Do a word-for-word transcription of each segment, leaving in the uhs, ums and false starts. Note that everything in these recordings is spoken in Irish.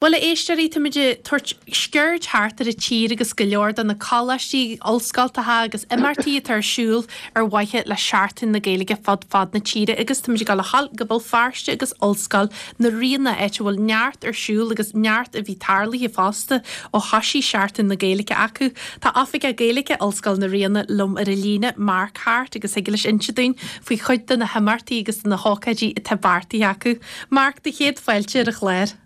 Bhuel, a éisteoirí, táimid ag tabhairt sciuird thart ar an tír agus go leor de na coláistí, ollscoltacha agus imeachtaí atá ar siúl ar mhaithe le Seachtain na Gaeilge fud fad na tíre agus táimid ag dul a ghabháil go Béal Feirste agus Ollscoil na Ríona, áit a bhfuil neart ar siúl agus neart a bhí tarlaithe fosta ó thoisigh Seachtain na Gaeilge acu. Tá Oifigeach Gaeilge Ollscoil na Ríona liom ar an líne, Mark Harte, agus thig leis inse dúinn faoi chuid de na himeachtaí agus de na hócáidí atá beartaithe acu. Mark, do chéad fáilte ar an chlár.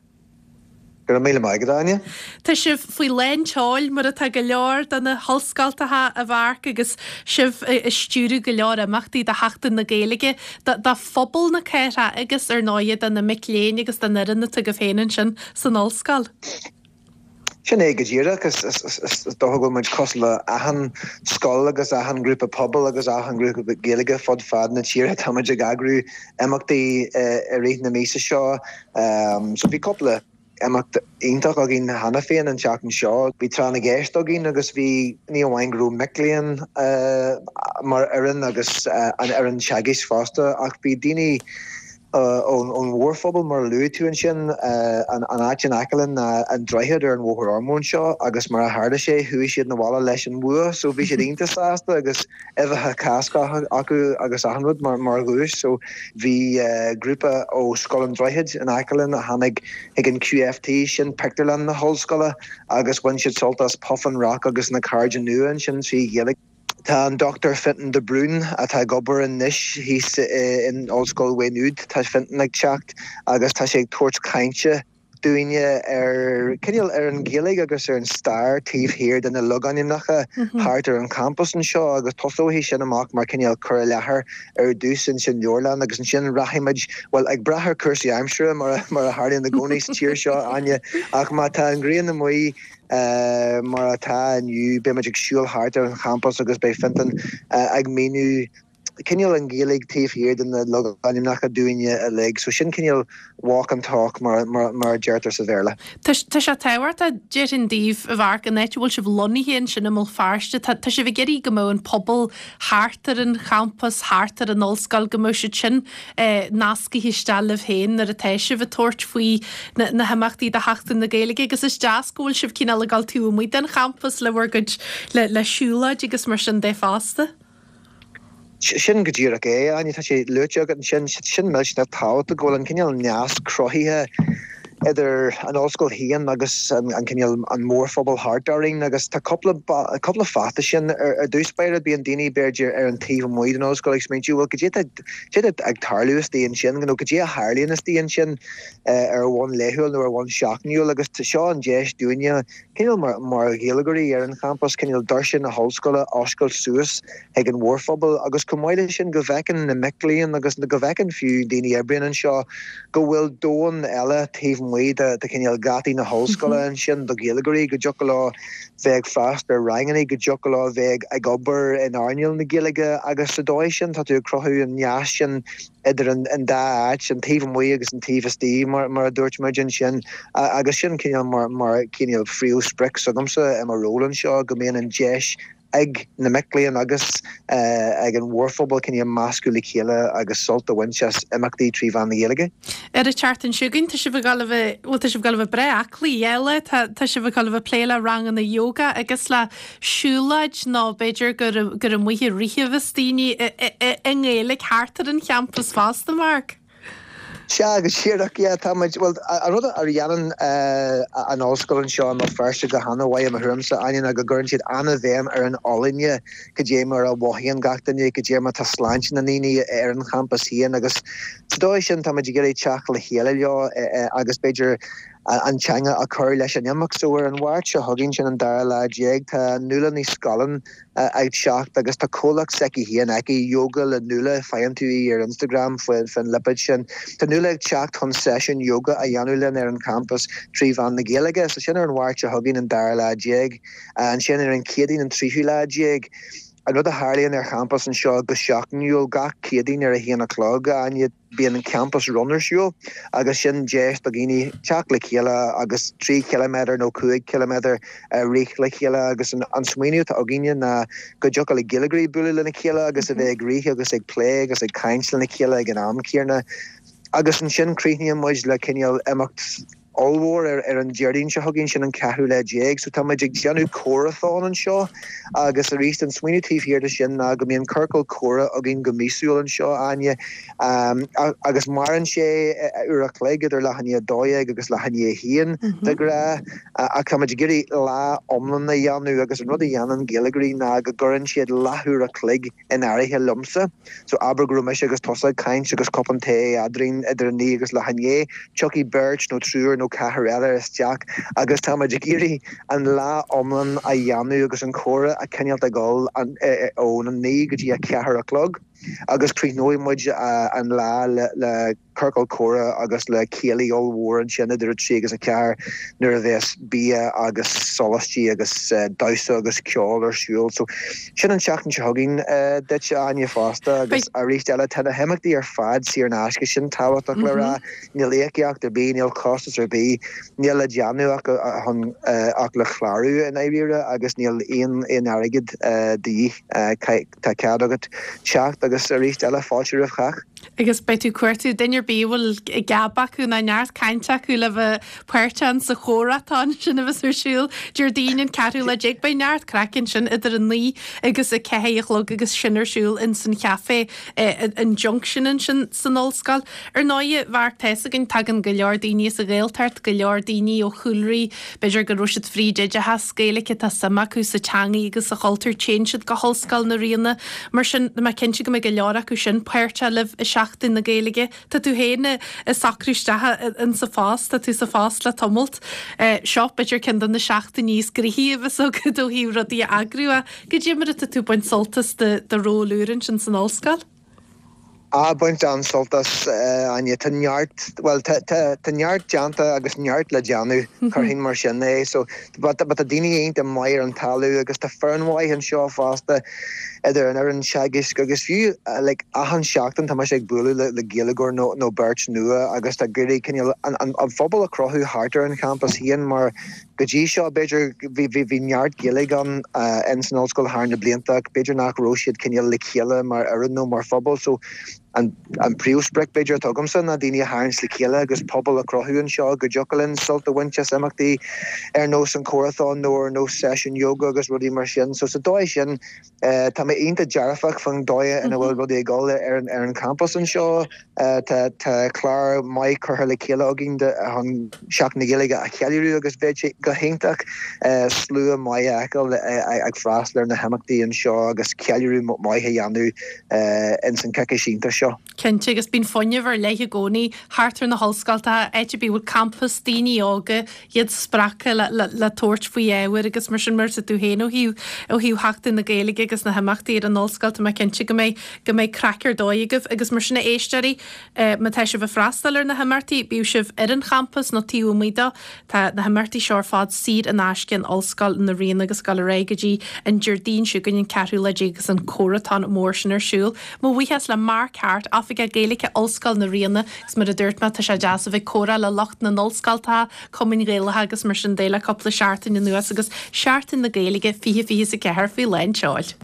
Go raibh míle maith agat, Áine. Tá sibh faoi lán tseoil mar atá go leor de na hollscoltacha, a Mharc, agus sibh ag stiúradh go leor imeachtaí do Sheachtain na Gaeilge do phobal na cathrach agus ar ndóighe do na mic léinn agus don fhoireann atá agaibh féin ansin san ollscoil. Sin é go díreach. Is dócha go bhfuil muid cosúil le achan scoil agus achan grúpa pobail agus achan grúpa Gaeilge fud fad na tíre. Tá muid ag eagrú imeachtaí i rith na míosa seo. So bhí cúpla imeacht iontach againn cheana féin an tseachtain seo. Bhí tráth na gceist againn agus bhí ní amháin go raibh mic léinn mar fhoireann agus an fhoireann teagaisc fosta ach bhí daoine ón mhórphobal mar a luaigh tú ansin, an áit in aice linn ná an Droichead ar an Bhóthar Ormeau anseo agus mar a tharla sé chuaigh siad 'na bhaile leis an bhua so bhí siad iontach sásta agus uibheacha Cásca acu agus achan rud mar mar dhuais so bhí grúpa ó Scoil an Droichid in aice linn a tháinig chuig an Q F T, sin pictiúrlann na hollscoile, agus bhain siad sult as Puffin Rock agus na Cairde Nua ansin trí Ghaeilge. Tá an Dochtúir Fintan de Brún atá ag obair anois thíos in Ollscoil Mhaigh Nuad, tá Fintan ag teacht agus tá sé ag tabhairt cainte dúinne ar cineál ar an Ghaeilge agus ar an stair taobh thiar de na logainmneacha thart ar an champas anseo agus tosóidh sin amach mar cineál cur i láthair ar dtús insan leabharlann agus ansin rachaimid, bhuel, ag brath ar cúrsaí aimsire mar mar a tharlaíonn i gcónaí sa tír seo, Áine, ach má tá an ghrian amuigh mar atá inniu beimid ag siúl thart ar an champas agus beidh Fintan ag míniú cineál an Ghaeilge taobh thiar de na logainmneacha dúinne uilig, so sin cineál walk and talk mar mar mar a deirtear sa Bhéarla. Tá sé tábhachtach, déarfainn daoibh, a Mharc, an áit a bhfuil sibh lonnaithe ansin i mBéal Feirste, tá tá sibh ag iarraidh go mbeadh an pobal thart ar an champas, thart ar an ollscoil, go mbeadh siad sin nascaithe isteach libh féin nuair atá sibh ag tabhairt faoi na na himeachtaí do Sheachtain na Gaeilge agus is deas go bhfuil sibh cineál ag dul taobh amuigh den champas le bhur gcuid le le siúlóid agus mar sin de fosta. Sin go díreach é, Áine, tá sé luaite agat ansin, sin millteanach tábhachtach go bhfuil an cineál nasc cruthaithe idir an ollscoil féin agus an cineál an mórphobal thart orainn agus tá cúpla cúpla fáth sin. Ar dtús báire, bíonn daoine b'fhéidir ar an taobh amuigh den ollscoil ag smaointiú, bhuel, cad é tá ag tarlú istigh ansin nó cad é a tharlaíonn istigh ansin ar bhonn laethúil nó ar bhonn seachtainiúil? Agus seo an deis dúinne cineál mar mar Ghaeilgeoirí ar an champas cineál doirse na hollscoile a oscailt suas ag an mhórphobal agus chomh maith leis sin go bhfeiceann na mic léinn agus go bhfeiceann fiú daoine a oibríonn anseo go bhfuil domhan eile taobh amuigh de de cineál geataí na hollscoile ansin do Ghaeilgeoirí, go dtiocfadh leo bheith ag freastal ar ranganna, go dtiocfadh leo bheith ag obair in earnáil na Gaeilge agus sa dóigh sin tá tú ag cruthú an nasc sin idir an an dá áit, an taobh amuigh agus an taobh istigh mar mar a dúirt muid ansin, agus sin cineál mar mar cineál phríomhsprioc s'agamsa i mo ról anseo, go mbíonn an deis ag na mic léinn agus ag an mhórphobal cineál meascadh le chéile agus sult a bhaint as imeachtaí trí mheán na Gaeilge. Ar an tseachtain seo chugainn, tá sibh ag dul a bheith, bhuel, tá sibh ag dul a bheith breá aclaí eile, tá tá sibh ag dul a bheith plé le ranganna yoga agus le siúlóid nó b'fhéidir gur gur amuigh ag rith a bheas daoine i nGaeilge thart ar an champas fosta, Mark. Sea, go díreach, yeah, tá muid, bhuel, an rud a dhéanann an ollscoil anseo i mBéal Feirste go han-mhaith i mo thuairimse, Áine, ná go gcuireann siad an-bhéim ar an fholláine, cad é mar a mhothaíonn gach duine, cad é mar tá sláinte na ndaoine ar an champas féin agus sa dóigh sin tá muid ag iarraidh teacht le chéile leo agus b'fhéidir an teanga a chur leis an imeacht. So ar an Mháirt seo chugainn, sin an dara lá déag, tá Nuala Ní Scanláin ag teacht agus tá comhlacht s'aici féin aici, Yoga le Nuala, faigheann tú í ar Instagram faoin lipéad sin. Tá Nuala ag teacht chun seisiún yoga a dhéanamh linn ar an champas trí mheán na Gaeilge. So sin ar an Mháirt seo chugainn, an dara lá déag. Ansin ar an Chéadaoin, an tríú lá déag, an rud a tharlaíonn ar champas anseo go seachtainiúil gach Céadaoin ar a haon a chlog, Áine, bíonn an Campus Run ar siúl agus sin deis do dhaoine teacht le chéile agus trí chiliméadar nó cúig chiliméadar a rith le chéile agus an an smaoineamh atá againne ná go dtiocfadh le Gaeilgeoirí bualadh lena chéile agus a bheith ag rith agus ag plé agus ag caint lena chéile ag an am céanna. Agus ansin críochnaíonn muid le cineál imeacht ollmhór ar ar an Déardaoin seo chugainn sin an ceathrú lá déag, so tá muid ag déanamh comhráthon anseo agus arís an smaoineamh taobh thiar de sin ná go mbíonn ciorcal comhrá againn go míosúil anseo Áine um, agus maireann sé uair a chloig idir leath i ndiaidh a dó dhéag agus leath i ndiaidh a haon de ghnáth ach tá muid ag iarraidh lá iomlán a dhéanamh agus an rud a dhéanann Gaeilgeoirí ná go gcuireann siad leathuair a chloig in áirithe liomsa. So abair go raibh mise agus tusa ag caint agus cupán tae eadrainn idir a naoi agus leath i ndiaidh, tiocfaidh beirt nó triúr nó ceathrar eile isteach agus tá muid ag iarraidh an lá iomlán a dhéanamh agus an comhrá a choinneáil ag dul ón a naoi go dtí a ceathair a chlog. Agus críochnóidh muid an lá le le ciorcal comhrá agus le céilí ollmhór ansin idir a trí agus a ceathair nuair a bheas bia agus sóláistí agus damhsa agus ceol ar siúl. So sin an tseachtain seo chugainn duit Áine fosta agus arís eile tá na himeachtaí ar fad saor in aisce sin tábhachtach le rá, níl íocaíocht ar bith, níl costas ar bith, níl le déanamh ach chun ach le clárú i ndáiríre agus níl aon aon airgead de dhíth tá cead agat teacht agus arís eile fáilte roimh chách. Agus beidh tú ag cuartú duine ar bith a bhfuil geab acu nó neart cainte acu le bheith páirteach sa chomhráthon sin a bheas ar siúl Déardaoin an ceathrú lá déag. Beidh neart craic ansin idir a naoi agus a ceathair a chlog agus sin ar siúl in san chafé an Junction ansin san ollscoil. Ar ndóigh Mharc tá a fhios againn tagann go leor daoine as an Ghaeltacht, go leor daoine ó chúlraí b'fhéidir go raibh siad fríd oideachas Gaeilge tá suim acu sa teangaidh agus sa chultúr téann siad go hOllscoil na Ríona. Mar sin tá mé cinnte go mbeidh go leor acu sin páirteach libh i Seachtain na Gaeilge. Tá tú féin ag socrú isteach in sa phost, tá tú sa phost le tamalt. Seo b'fhéidir ceann de na seachtainí is gnoithí a bheas agat ó thaobh rudaí a eagrú cad é mar atá tú ag baint sult as do do ról úr ansin san ollscoil. Á baint an-sult as Áine tá neart well tá tá tá neart déanta agus neart le déanamh chuirfinn mar sin é so but but tá daoine iontach maith ar an talamh agus tá foireann mhaith anseo fosta idir an fhoireann teagaisc agus fiú like achan seachtain tá mise ag bualadh le le Gaeilgeoir nó nó beirt nua agus tá ag iarraidh cineál an an an phobal a chruthú thart ar an champas féin mar go dtí seo b'fhéidir bhí bhí bhí neart Gaeilge ann in san ollscoil thar na blianta b'fhéidir nach raibh siad cineál le chéile mar fhoireann nó mar phobal so an an príomhsprioc b'fhéidir atá agamsa ná daoine a tharraingt le chéile agus pobal a chruthú anseo go dtiocfadh linn sult a bhaint as imeachtaí ar nós an comhráthon nó ar nós seisiún yoga agus rudaí mar sin so sa dóigh sin tá mé iontach dearfach faoin dóigh ina bhfuil rudaí ag dul ar an ar an campus anseo tá tá clár maith curtha le chéile againn chun Seachtain na Gaeilge a cheiliúradh agus bheadh sé go hiontach slua maith a fheiceáil ag freastal ar na himeachtaí anseo agus ceiliúradh maith a dhéanamh in san coicís iontach seo. Cinnte agus bíonn fuinneamh ar leith i gcónaí thart ar na hollscoltacha áit ar bith a bhfuil campas daoine óga iad spreagtha le, le, le tabhairt faoi ábhair agus mar sin mar sa tú féin ó thaobh ó thaobh Sheachtain na Gaeilge agus na himeachtaí ar an ollscoil tá mé cinnte go mbeidh go mbeidh craic ar dóigh agaibh agus mar sin a éisteoirí eh, má tá sibh ag freastal ar na himeachtaí bíodh sibh ar an champas nó taobh amuigh de tá na himeachtaí seo ar fad saor in aisce in Ollscoil na Ríona agus ag dul ar aghaidh go dtí an Déardaoin seo chugainn an ceathrú lá déag agus an comhráthon mór sin ar siúl. Mo bhuíochas le Mark Hart Oifigeach Gaeilge Ollscoil na Ríona agus mar a dúirt mé tá sé deas a bheith ag comhrá le lucht na n-ollscoltacha cumainn Ghaelacha agus mar sin de le cúpla seachtain anuas agus Seachtain na Gaeilge fiche fiche a ceathair faoi lán tseoil.